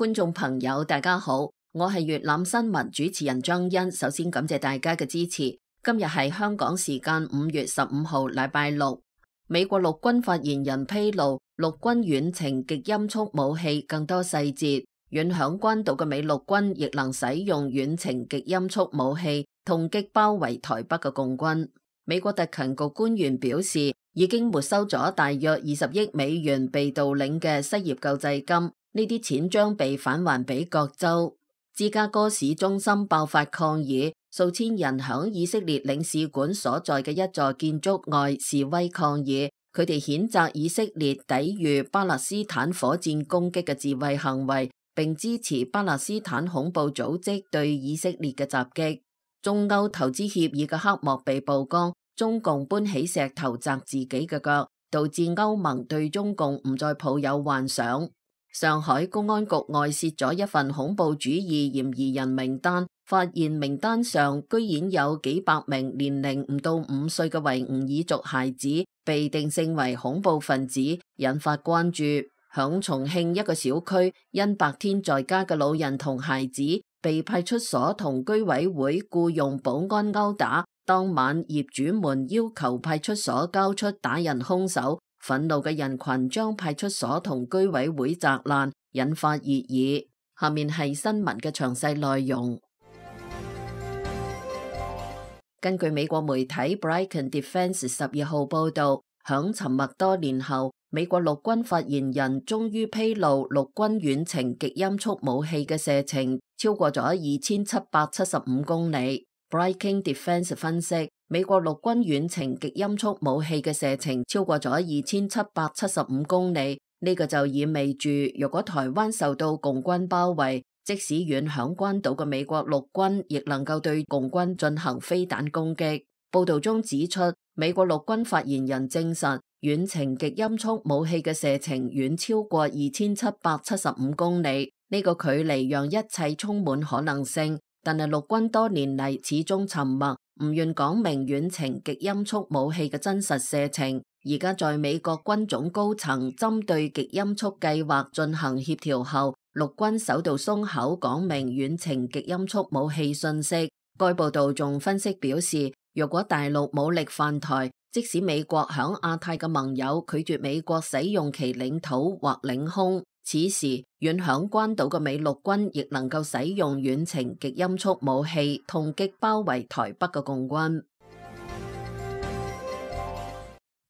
觀眾朋友大家好，我係粵覽新聞主持人張欣。首先感謝大家嘅支持。今日係香港時間5月15號禮拜六。美國陸軍發言人披露陸軍遠程極音速武器更多細節，遠響關島嘅美陸軍亦能使用遠程極音速武器痛擊包圍台北嘅共軍。美國特勤局官員表示，已經沒收咗大約20億美元被盜領嘅失業救濟金。呢啲錢將被返還俾各州。芝加哥市中心爆發抗議，數千人響以色列領事館所在嘅一座建築外示威抗議，佢哋譴責以色列抵禦巴勒斯坦火箭攻擊嘅自衛行為，並支持巴勒斯坦恐怖組織對以色列嘅襲擊。中歐投資協議嘅黑幕被曝光，中共搬起石頭砸自己嘅腳，導致歐盟對中共唔再抱有幻想。上海公安局外洩咗一份恐怖主義嫌疑人名單，發現名單上居然有幾百名年齡唔到5歲嘅維吾爾族孩子被定性為恐怖分子，引發關注。響重慶一個小區，因白天在家嘅老人同孩子被派出所同居委會僱用保安毆打，當晚業主們要求派出所交出打人兇手。憤怒嘅人群將派出所同居委會砸爛，引發熱議。下面係新聞嘅詳細內容。根據美國媒體 Brigham Defense 12號報道，響沉默多年後，美國陸軍發言人終於披露陸軍遠程極音速武器嘅射程超過咗2775公里。Brigham Defense 分析，美國陸軍遠程極音速武器嘅射程超過咗2775公里，呢個就意味住，如果台灣受到共軍包圍，即使遠響關島嘅美國陸軍亦能夠對共軍進行飛彈攻擊。報道中指出，美國陸軍發言人證實，遠程極音速武器嘅射程遠超過2775公里，呢個距離讓一切充滿可能性。但係陸軍多年嚟始終沉默，唔願講明遠程極音速武器嘅真實射程。而家在美國軍種高層針對極音速計劃進行協調後，陸軍首度鬆口講明遠程極音速武器信息。該報道仲分析表示，若果大陸武力犯台，即使美國響亞太嘅盟友拒絕美國使用其領土或領空，此時遠響關島嘅美陸軍亦能夠使用遠程極音速武器痛擊包圍台北嘅共軍。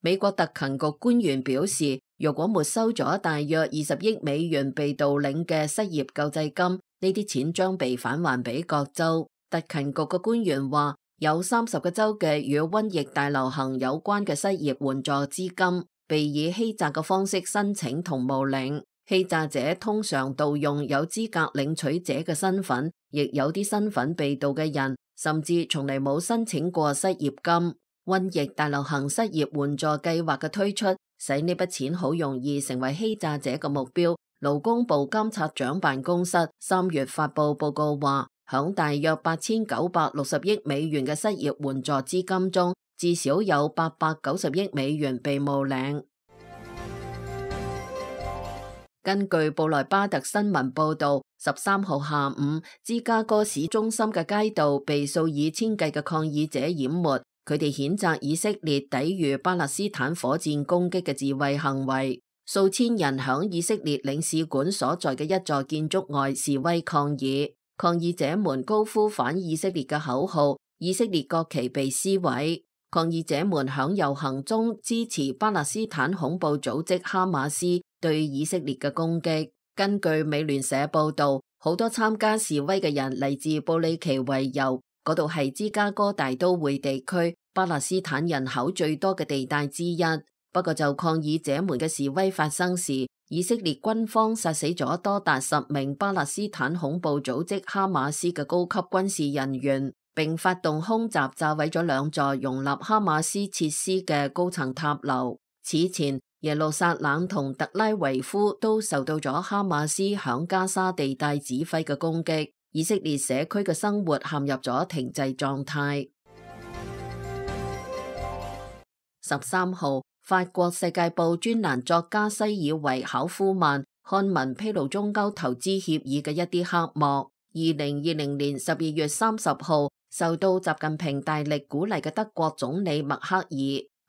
美國特勤局官員表示，如果沒收咗大約20億美元被盜領嘅失業救濟金，呢啲錢將被返還俾各州。特勤局嘅官員話，有30個州嘅與瘟疫大流行有關嘅失業援助資金被以欺詐嘅方式申請同冒領。欺詐者通常盜用有資格領取者嘅身份，亦有啲身份被盜嘅人甚至從嚟冇申請過失業金。瘟疫大流行失業援助計劃嘅推出，使呢筆錢好容易成為欺詐者嘅目標。勞工部監察長辦公室3月發佈報告話，響大約8960億美元嘅失業援助資金中，至少有890億美元被冒領。根據布萊巴特新聞報道，13號下午，芝加哥市中心嘅街道被數以千計嘅抗議者淹沒，佢哋譴責以色列抵禦巴勒斯坦火箭攻擊嘅自衛行為。數千人響以色列領事館所在嘅一座建築外示威抗議，抗議者們高呼反以色列嘅口號，以色列國旗被撕毀。抗議者們響遊行中支持巴勒斯坦恐怖組織哈馬斯對以色列嘅攻擊。根據美聯社報道，好多參加示威嘅人嚟自布里奇維尤，嗰度係芝加哥大都會地區巴勒斯坦人口最多嘅地帶之一。不過就抗議者們嘅示威發生時，以色列軍方殺死咗多達10名巴勒斯坦恐怖組織哈馬斯嘅高級軍事人員，並發動空襲炸毀咗2座容納哈馬斯設施嘅高層塔樓。此前，耶路撒冷同特拉維夫都受到咗哈馬斯響加沙地帶指揮嘅攻擊，以色列社區嘅生活陷入咗停滯狀態。13號，法國世界報專欄作家西爾維考夫曼刊文披露中歐投資協議嘅一啲黑幕。2020年12月30號，受到習近平大力鼓勵嘅德國總理默克爾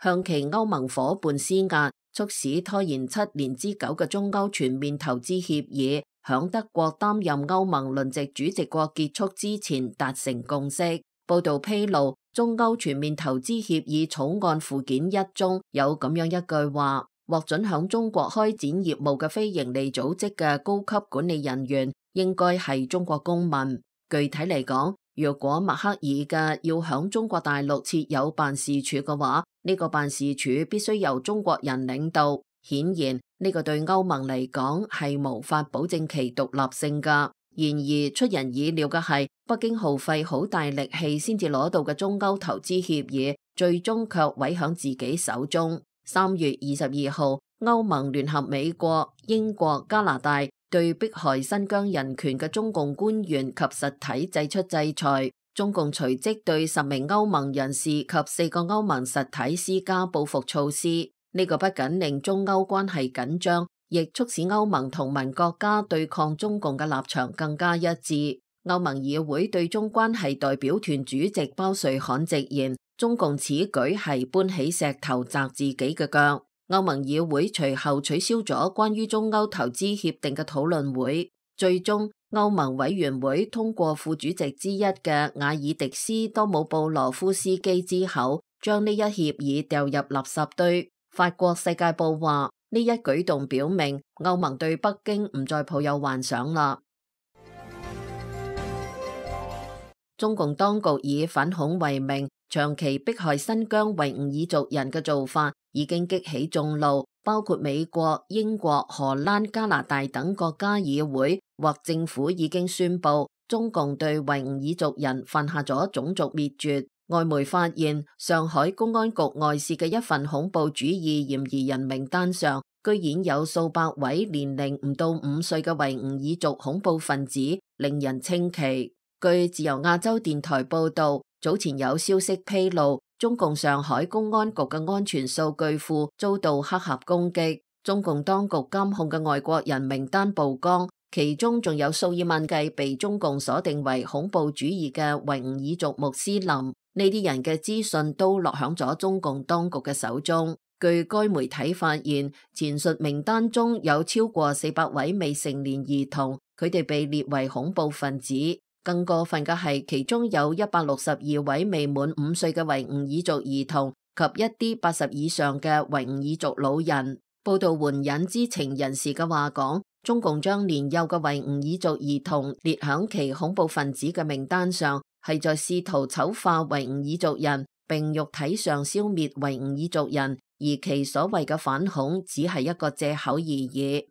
向其歐盟夥伴施壓，促使拖延7年之久嘅中歐全面投資協議響德國擔任歐盟輪值主席國結束之前達成共識。報道披露，中歐全面投資協議草案附件1中有咁樣一句話：獲准響中國開展業務嘅非營利組織嘅高級管理人員應該係中國公民。具體嚟講，若果默克爾嘅要響中國大陸設有辦事處嘅話，呢個辦事處必須由中國人領導。顯然呢個對歐盟嚟講係無法保證其獨立性㗎。然而出人意料嘅係，北京耗費好大力氣先至攞到嘅中歐投資協議，最終卻毀響自己手中。3月22號，歐盟聯合美國、英國、加拿大對迫害新疆人權嘅中共官員及實體祭出制裁。中共隨即對10名歐盟人士及4個歐盟實體施加報復措施。呢個不僅令中歐關係緊張，亦促使歐盟同盟國家對抗中共嘅立場更加一致。歐盟議會對中關係代表團主席包瑞罕直言，中共此舉係搬起石頭砸自己嘅腳。歐盟議會隨後取消咗關於中歐投資協定嘅討論會，最終歐盟委員會通過副主席之一嘅瓦爾迪斯多姆布羅夫斯基之後，將呢一協議掉入垃圾堆。法國世界報話，呢一舉動表明歐盟對北京唔再抱有幻想啦。中共當局以反恐為名，長期迫害新疆維吾爾族人嘅做法已經激起眾怒，包括美國、英國、荷蘭、加拿大等國家議會或政府已經宣布，中共對維吾爾族人犯下咗種族滅絕。外媒發現，上海公安局外泄嘅一份恐怖主義嫌疑人名單上，居然有數百位年齡唔到5歲嘅維吾爾族恐怖分子，令人稱奇。據自由亞洲電台報道，早前有消息披露，中共上海公安局嘅安全數據庫遭到黑客攻擊，中共當局監控嘅外國人名單曝光，其中仲有數以萬計被中共鎖定為恐怖主義嘅維吾爾族穆斯林，呢啲人嘅資訊都落響咗中共當局嘅手中。據該媒體發現，前述名單中有超過400位未成年兒童，佢哋被列為恐怖分子。更過分嘅係，其中有162位未滿5歲嘅維吾爾族兒童及一啲80以上嘅維吾爾族老人。報道援引知情人士嘅話講，中共將年幼嘅維吾爾族兒童列響其恐怖分子嘅名單上，係在試圖醜化維吾爾族人，並肉體上消滅維吾爾族人，而其所謂嘅反恐只係一個借口而已。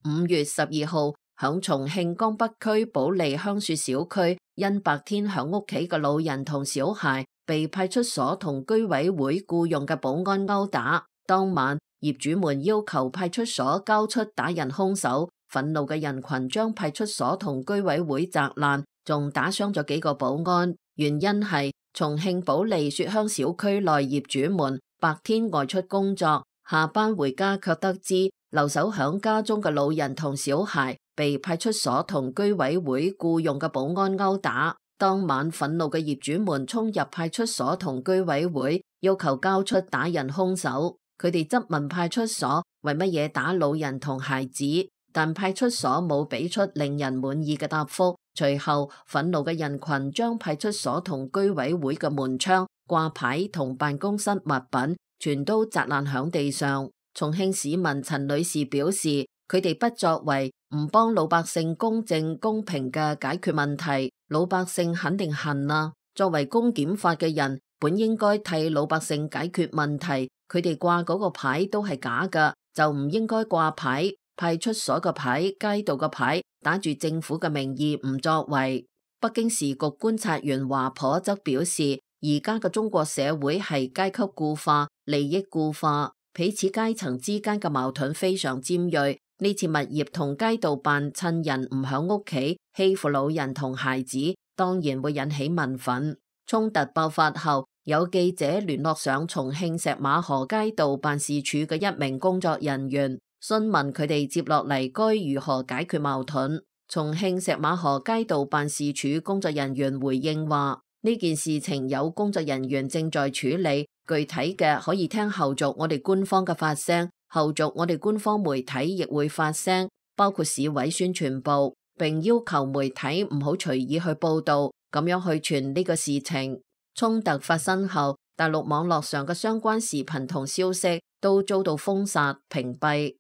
5月12號，響重慶江北區保利香雪小區，因白天響屋企嘅老人同小孩被派出所同居委會僱用嘅保安毆打，當晚業主們要求派出所交出打人兇手，憤怒嘅人群將派出所同居委會砸爛，仲打傷咗幾個保安。原因係重慶保利雪鄉小區內業主們白天外出工作，下班回家卻得知留守響家中嘅老人同小孩被派出所同居委會僱用嘅保安毆打。當晚憤怒嘅業主們衝入派出所同居委會，要求交出打人兇手。佢哋質問派出所為乜嘢打老人同孩子，但派出所冇俾出令人滿意嘅答覆。隨後憤怒嘅人群將派出所同居委會嘅門窗、掛牌同辦公室物品全都砸爛響地上。重慶市民陳女士表示，佢哋不作為，唔幫老百姓公正公平嘅解決問題，老百姓肯定恨啊。作為公檢法嘅人，本應該替老百姓解決問題，佢哋掛嗰個牌都係假㗎，就唔應該掛牌。派出所嘅牌、街道嘅牌，打住政府嘅名義唔作為。北京時局觀察員華頗則表示，而家嘅中國社會係階級固化、利益固化，彼此階層之間嘅矛盾非常尖銳。呢次物業同街道辦趁人唔響屋企欺負老人同孩子，當然會引起民憤。衝突爆發後，有記者聯絡上重慶石馬河街道辦事處嘅一名工作人員，詢問佢哋接落嚟該如何解決矛盾。重慶石馬河街道辦事處工作人員回應話，呢件事情有工作人員正在處理，具體嘅可以聽後續我哋官方嘅發聲，後續我哋官方媒體亦會發聲，包括市委宣傳部，並要求媒體唔好隨意去報道，咁樣去傳呢個事情。衝突發生後，大陸網絡上嘅相關視頻同消息都遭到封殺屏蔽。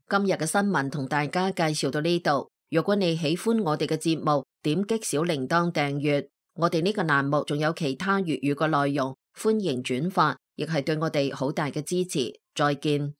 今日嘅新聞同大家介紹到呢度。如果你喜歡我哋嘅節目，點擊小鈴鐺訂閱。我哋呢個欄目仲有其他粵語嘅內容，歡迎轉發，亦係對我哋好大嘅支持。再見。